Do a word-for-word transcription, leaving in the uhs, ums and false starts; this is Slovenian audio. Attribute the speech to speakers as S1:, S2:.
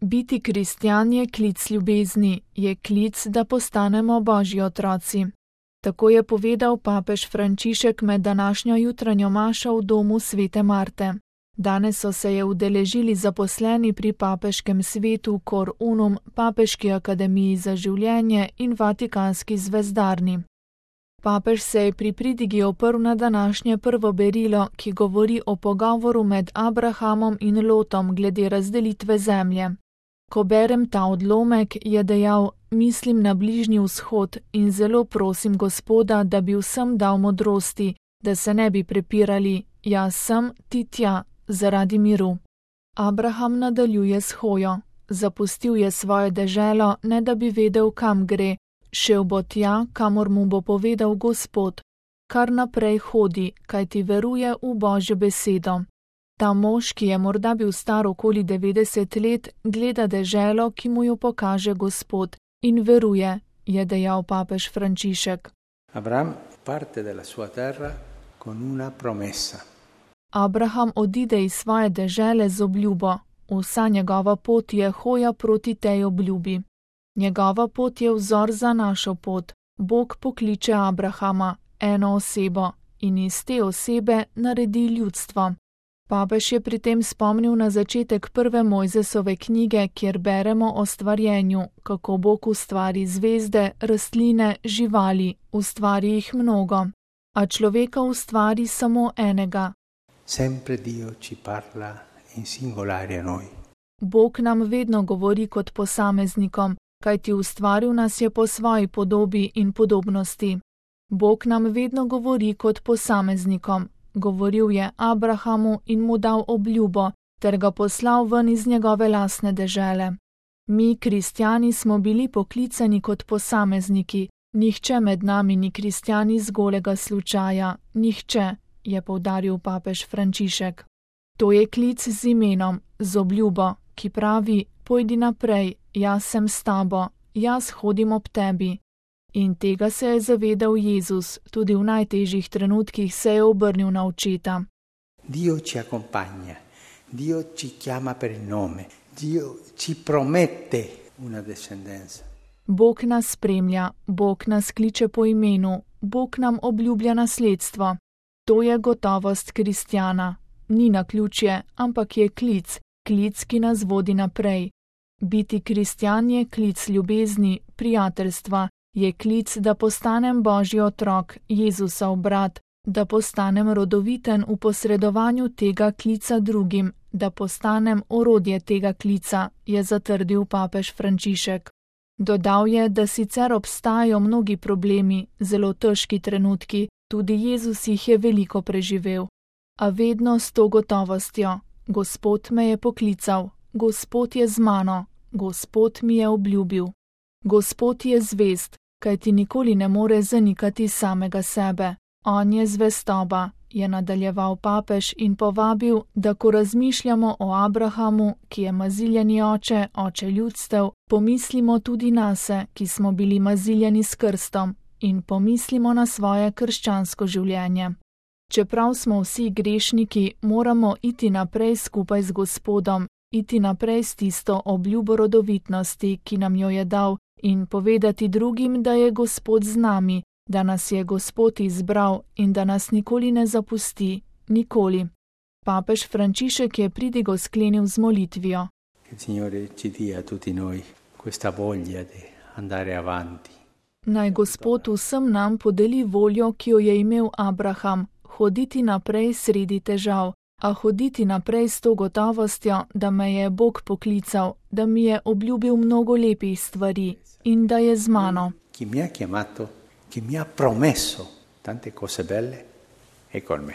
S1: Biti kristjan je klic ljubezni, je klic, da postanemo Božji otroci. Tako je povedal papež Frančišek med današnjo jutranjo mašo v domu svete Marte. Danes so se je udeležili zaposleni pri papeškem svetu Cor Unum, Papeški akademiji za življenje in Vatikanski zvezdarni. Papež se je pri pridigi oprl na današnje prvo berilo, ki govori o pogovoru med Abrahamom in Lotom glede razdelitve zemlje. Ko berem ta odlomek, je dejal, mislim na Bližnji vzhod in zelo prosim Gospoda, da bi vsem dal modrosti, da se ne bi prepirali, jaz sem, ti tja, zaradi miru. Abraham nadaljuje s hojo. Zapustil je svojo deželo, ne da bi vedel, kam gre. Šel bo tja, kamor mu bo povedal Gospod. Kar naprej hodi, kajti veruje v Božjo besedo. Ta mož, ki je morda bil star okoli devetdeset let, gleda deželo, ki mu jo pokaže Gospod, in veruje, je dejal papež Frančišek.
S2: Abraham parte dalla sua terra con una promessa.
S1: Abraham odide iz svoje dežele z obljubo. Vsa njegova pot je hoja proti tej obljubi. Njegova pot je vzor za našo pot. Bog pokliče Abrahama, eno osebo, in iz te osebe naredi ljudstvo. Papež je pri tem spomnil na začetek prve Mojzesove knjige, kjer beremo o stvarjenju, kako Bog ustvari zvezde, rastline, živali, ustvari jih mnogo, a človeka ustvari samo enega.
S2: Sempre Dio ci parla in singolare a noi.
S1: Bog nam vedno govori kot posameznikom, kajti ustvaril nas je po svoji podobi in podobnosti. Bog nam vedno govori kot posameznikom. Govoril je Abrahamu in mu dal obljubo, ter ga poslal ven iz njegove lastne dežele. Mi, kristjani, smo bili poklicani kot posamezniki. Nihče med nami ni kristjan iz golega slučaja. Nihče, je poudaril papež Frančišek. To je klic z imenom, z obljubo, ki pravi, pojdi naprej, jaz sem s tabo, jaz hodim ob tebi. In tega se je zavedal Jezus, tudi v najtežjih trenutkih se je obrnil na očeta.
S2: Dio ci accompagna, Dio ci chiama per il nome, Dio ci promette una descendenza.
S1: Bog nas spremlja, Bog nas kliče po imenu, Bog nam obljublja nasledstvo. To je gotovost kristjana. Ni naključje, ampak je klic, klic, ki nas vodi naprej. Biti kristjan je klic ljubezni, prijateljstva, je klic, da postanem Božji otrok, Jezusov brat, da postanem rodoviten v posredovanju tega klica drugim, da postanem orodje tega klica, je zatrdil papež Frančišek. Dodal je, da sicer obstajajo mnogi problemi, zelo težki trenutki, tudi Jezus jih je veliko preživel. A vedno s to gotovostjo, Gospod me je poklical, Gospod je z mano, Gospod mi je obljubil. Gospod je zvest, kajti nikoli ne more zanikati samega sebe. On je zvestoba, je nadaljeval papež in povabil, da ko razmišljamo o Abrahamu, ki je maziljeni oče, oče ljudstev, pomislimo tudi nase, ki smo bili maziljeni s krstom, in pomislimo na svoje krščansko življenje. Čeprav smo vsi grešniki, moramo iti naprej skupaj z Gospodom, iti naprej s tisto obljubo rodovitnosti, ki nam jo je dal, in povedati drugim, da je Gospod z nami, da nas je Gospod izbral in da nas nikoli ne zapusti, nikoli. Papež Frančišek je pridigo sklenil z molitvijo. Naj Gospod vsem nam podeli voljo, ki jo je imel Abraham, hoditi naprej sredi težav, a hoditi naprej s to gotovostjo, da me je Bog poklical, da mi je obljubil mnogo lepih stvari in da je z mano.
S2: Ki mi ha chiamato, ki mi ha promesso tante cose belle, è con me.